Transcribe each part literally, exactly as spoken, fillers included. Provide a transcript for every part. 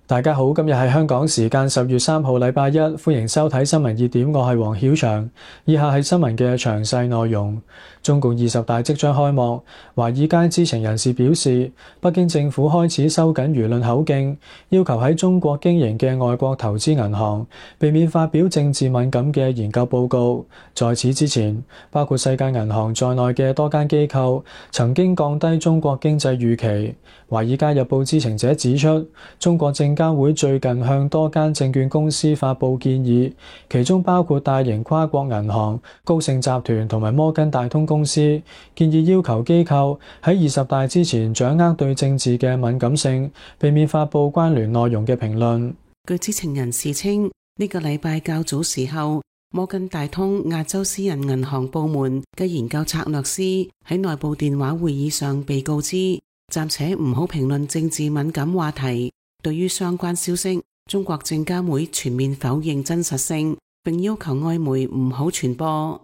大家好，今日係香港時間十月三號禮拜一，歡迎收睇新聞熱點，我係黃曉翔。以下係新聞嘅詳細內容。中共二十大即將開幕，華爾街知情人士表示，北京政府開始收緊輿論口徑，要求喺中國經營嘅外國投資銀行避免發表政治敏感嘅研究報告。在此之前，包括世界銀行在內嘅多間機構曾經降低中國經濟預期。華爾街日報知情者指出，中國證監會最近向多間證券公司發布建議，其中包括大型跨國銀行、高盛集團同埋摩根大通公司，建議要求機構喺二十大之前掌握對政治嘅敏感性，避免發布關聯內容嘅評論。據知情人士稱，呢、這個禮拜較早時候，摩根大通亞洲私人銀行部門嘅研究策略師喺內部電話會議上被告知，暫且唔好評論政治敏感話題。對於相關消息，中國證監會全面否認真實性，並要求外媒唔好傳播。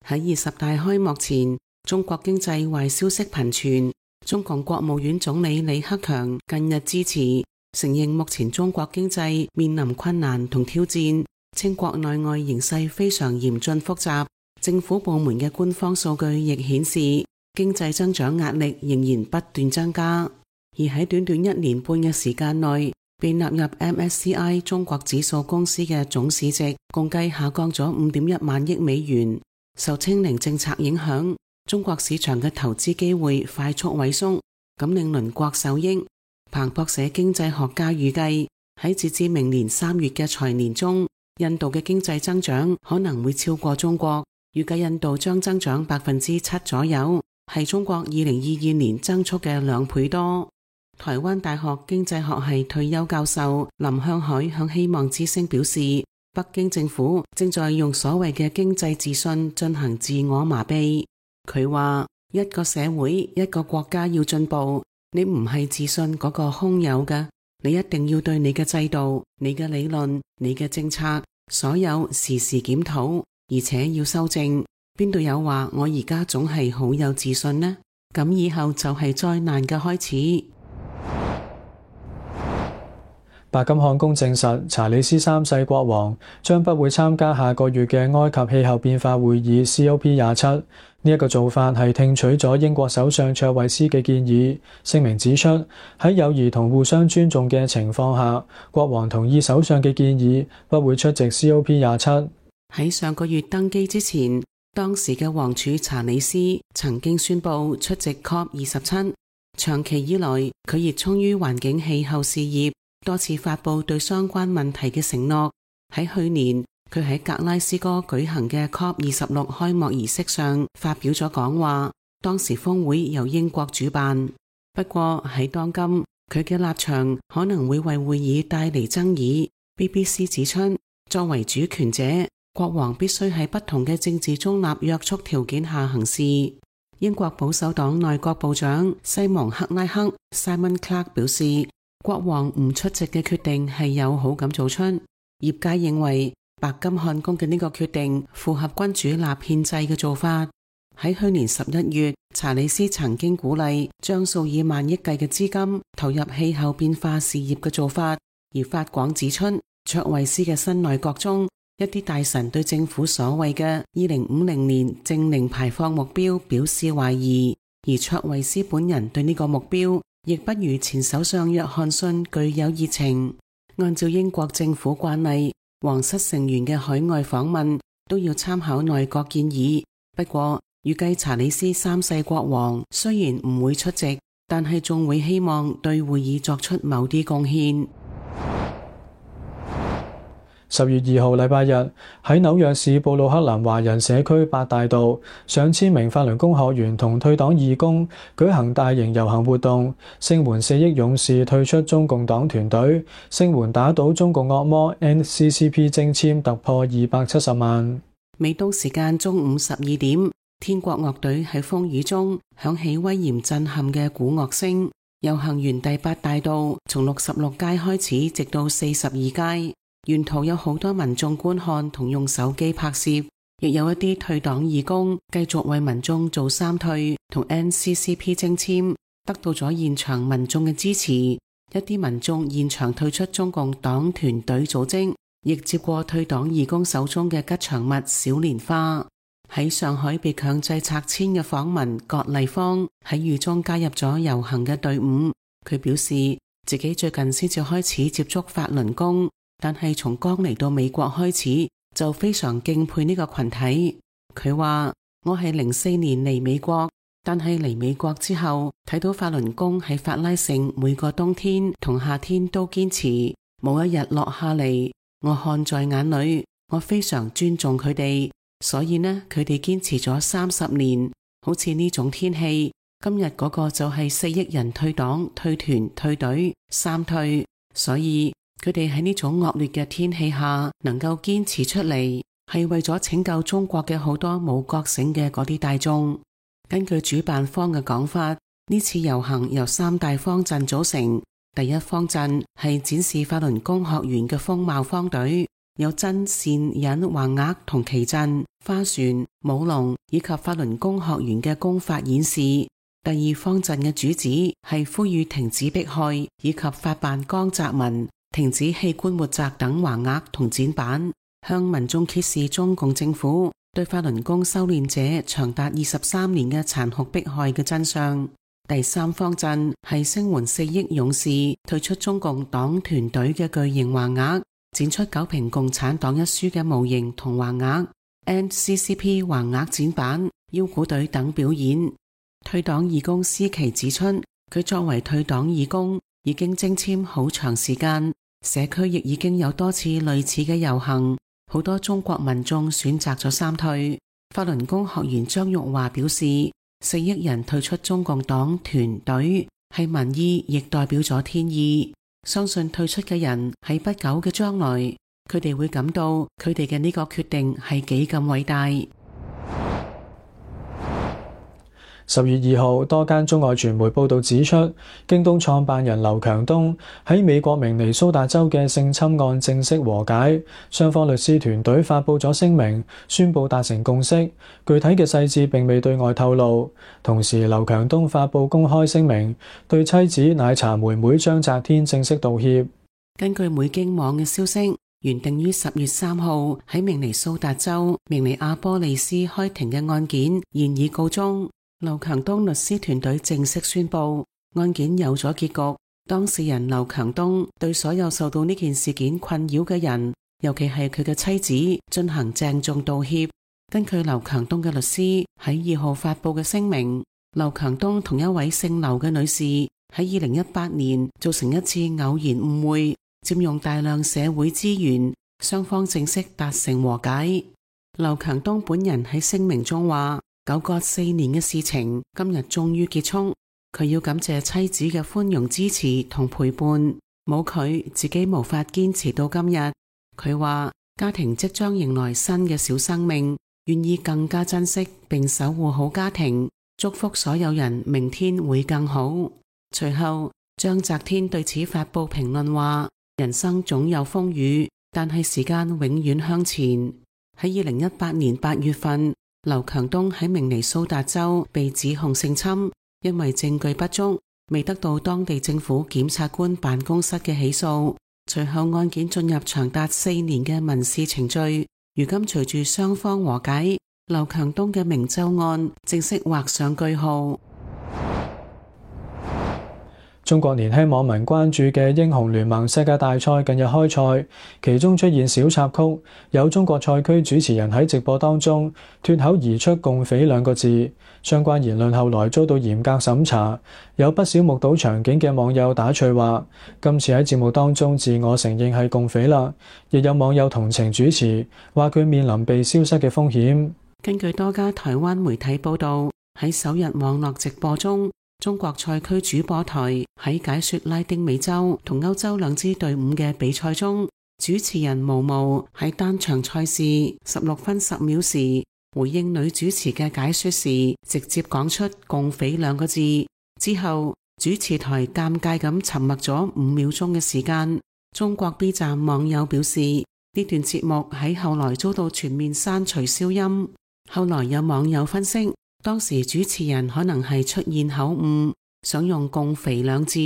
喺二十大開幕前，中國經濟壞消息頻傳。中共國務院總理李克強近日致辭，承認目前中國經濟面臨困難同挑戰，稱國內外形勢非常嚴峻複雜。政府部門嘅官方數據亦顯示，經濟增長壓力仍然不斷增加。而喺短短一年半嘅時間內，被納入 M S C I 中國指數公司嘅總市值共計下降咗五點一萬億美元。受清零政策影響，中國市場嘅投資機會快速萎縮，咁令鄰國受益。彭博社經濟學家預計，喺截至明年三月嘅財年中，印度嘅經濟增長可能會超過中國，預計印度將增長百分之七左右，係中國二零二二年增速嘅兩倍多。台灣大學經濟學系退休教授林向海向希望之聲表示，北京政府正在用所謂嘅經濟自信進行自我麻痹。佢話，一個社會一個國家要進步，你唔係自信嗰個空有嘅，你一定要對你嘅制度、你嘅理論、你嘅政策所有時時檢討，而且要修正。邊度有話我而家總係好有自信呢？咁以後就係災難嘅開始。白金漢宮證實，查理斯三世國王將不會參加下個月嘅埃及氣候變化會議 C O P 廿七。呢一個做法係聽取咗英國首相卓慧思嘅建議。聲明指出，喺友誼同互相尊重嘅情況下，國王同意首相嘅建議，不會出席 C O P 廿七。喺上個月登基之前，當時嘅王儲查理斯曾經宣布出席 C O P 二十七。長期以來，佢熱衷於環境氣候事業，多次發布對相關問題嘅承諾。喺去年，佢喺格拉斯哥舉行嘅 C O P 二十六開幕儀式上發表咗講話，當時峰會由英國主辦。不過喺當今，佢嘅立場可能會為會議帶嚟爭議。B B C 指出，作為主權者，國王必須喺不同嘅政治中立約束條件下行事。英國保守黨內閣部長西蒙克拉克 Simon Clarke 表示，國王唔出席嘅決定係有好感做出。業界認為白金漢宮嘅呢個決定符合君主立憲制嘅做法。喺去年十一月，查理斯曾經鼓勵將數以萬億計嘅資金投入氣候變化事業嘅做法，而法廣指出，卓慧思嘅新內閣中，一啲大臣對政府所謂嘅二零五零年淨零排放目標表示懷疑，而卓慧思本人對呢個目標亦不如前首相約翰遜具有熱情。按照英國政府慣例，皇室成員嘅海外訪問都要參考內閣建議。不過，預計查理斯三世國王雖然唔會出席，但係仲會希望對會議作出某啲貢獻。十月二號禮拜日，喺紐約市布魯克林華人社區八大道，上千名法輪功學員同退黨義工舉行大型遊行活動，聲援四億勇士退出中共黨團隊，聲援打倒中共惡魔 N C C P 徵簽突破二百七十萬。美東時間中午十二點，天國樂隊喺風雨中響起威嚴震撼嘅鼓樂聲，遊行沿第八大道從六十六街開始，直到四十二街。沿途有好多民眾觀看同用手機拍攝，亦有一啲退黨義工繼續為民眾做三退同 N C C P 徵簽，得到咗現場民眾嘅支持。一啲民眾現場退出中共黨團隊組織，亦接過退黨義工手中嘅吉祥物小蓮花。喺上海被強制拆遷嘅訪民葛麗芳喺雨中加入咗遊行嘅隊伍。佢表示自己最近先至開始接觸法輪功，但係從剛嚟到美國開始就非常敬佩呢個群體。佢話：我係零四年嚟美國，但係嚟美國之後睇到法輪功喺法拉盛每個冬天同夏天都堅持，冇一日落下嚟。我看在眼裏，我非常尊重佢哋，所以呢，佢哋堅持咗三十年。好似呢種天氣，今日嗰個就係四億人退黨、退團、退隊，三退。所以佢哋喺呢種惡劣嘅天氣下能夠堅持出嚟，係為咗拯救中國嘅好多冇覺醒嘅嗰啲大眾。根據主辦方嘅講法，呢次遊行由三大方陣組成。第一方陣係展示法輪功學員嘅風貌方隊，有真善忍橫額同旗陣、花船、舞龍以及法輪功學員嘅功法演示。第二方陣嘅主旨係呼籲停止迫害以及法辦江澤民、停止器官活摘等橫額同展板，向民眾揭示中共政府對法輪功修煉者長達二十三年嘅殘酷迫害嘅真相。第三方陣係聲援四億勇士退出中共黨團隊嘅巨型橫額，展出九評共產黨一書嘅模型同橫額 N C C P 橫額展板、腰鼓隊等表演。退黨義工思琪指出，佢作為退黨義工已經徵簽好長時間，社區亦已經有多次類似嘅遊行，好多中國民眾選擇咗三退。法輪功學員張玉華表示，四億人退出中共黨團隊係民意，亦代表咗天意。相信退出嘅人喺不久嘅將來，佢哋會感到佢哋嘅呢個決定係幾咁偉大。十月二號，多間中外傳媒報道指出，京東創辦人劉強東喺美國明尼蘇達州嘅性侵案正式和解，雙方律師團隊發布咗聲明，宣布達成共識，具體嘅細節並未對外透露。同時，劉強東發布公開聲明，對妻子奶茶妹妹張澤天正式道歉。根據美京網嘅消息，原定於十月三號喺明尼蘇達州明尼阿波利斯開庭嘅案件現已告終。劉強東律師團隊正式宣布，案件有咗結局。當事人劉強東對所有受到呢件事件困擾嘅人，尤其係佢嘅妻子，進行鄭重道歉。根據劉強東嘅律師喺二號發布嘅聲明，劉強東同一位姓劉嘅女士喺二零一八年造成一次偶然誤會，佔用大量社會資源，雙方正式達成和解。劉強東本人喺聲明中話，糾葛四年嘅事情今日終於結束，佢要感謝妻子嘅寬容支持同陪伴，冇佢自己無法堅持到今日。佢話家庭即將迎來新嘅小生命，願意更加珍惜並守護好家庭，祝福所有人明天會更好。隨後張澤天對此發布評論話，人生總有風雨，但係時間永遠向前。喺二零一八年八月份，劉強東喺明尼蘇達州被指控性侵，因為證據不足，未得到當地政府檢察官辦公室嘅起訴。隨後案件進入長達四年嘅民事程序，如今隨住雙方和解，劉強東嘅明州案正式畫上句號。中國年輕網民關注嘅英雄聯盟世界大賽近日開賽，其中出現小插曲，有中國賽區主持人喺直播當中脫口而出共匪兩個字，相關言論後來遭到嚴格審查。有不少目睹場景嘅網友打趣話，今次喺節目當中自我承認係共匪啦。亦有網友同情主持，話佢面臨被消失嘅風險。根據多家台灣媒體報道，喺首日網絡直播中，中國賽區主播台喺解說拉丁美洲同歐洲兩支隊伍嘅比賽中，主持人毛毛喺單場賽事十六分十秒時回應女主持嘅解說時，直接講出共匪兩個字，之後主持台尷尬咁沉默咗五秒鐘嘅時間。中國 B 站網友表示，呢段節目喺後來遭到全面刪除消音。後來有網友分析，當時主持人可能係出現口誤，想用共匪兩字，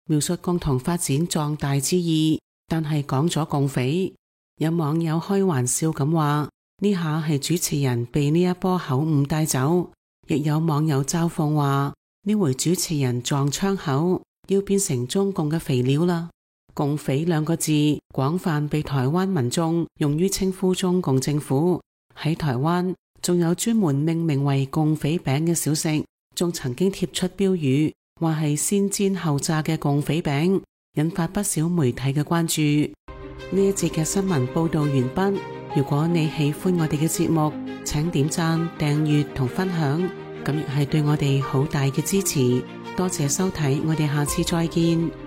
描述共同發展壯大之意，但係講咗共匪。有網友開玩笑咁話，呢下係主持人被呢一波口誤帶走。亦有網友嘲諷話，呢回主持人撞槍口，要變成中共嘅肥料啦。共匪兩個字廣泛被台灣民眾用於稱呼中共政府。喺台灣仲有專門命名為共匪餅嘅小食，仲曾經貼出標語，話係先煎後炸嘅共匪餅，引發不少媒體嘅關注。呢一節嘅新聞報道完畢。如果你喜歡我哋嘅節目，請點讚、訂閱同分享，咁亦係對我哋好大嘅支持。多謝收睇，我哋下次再見。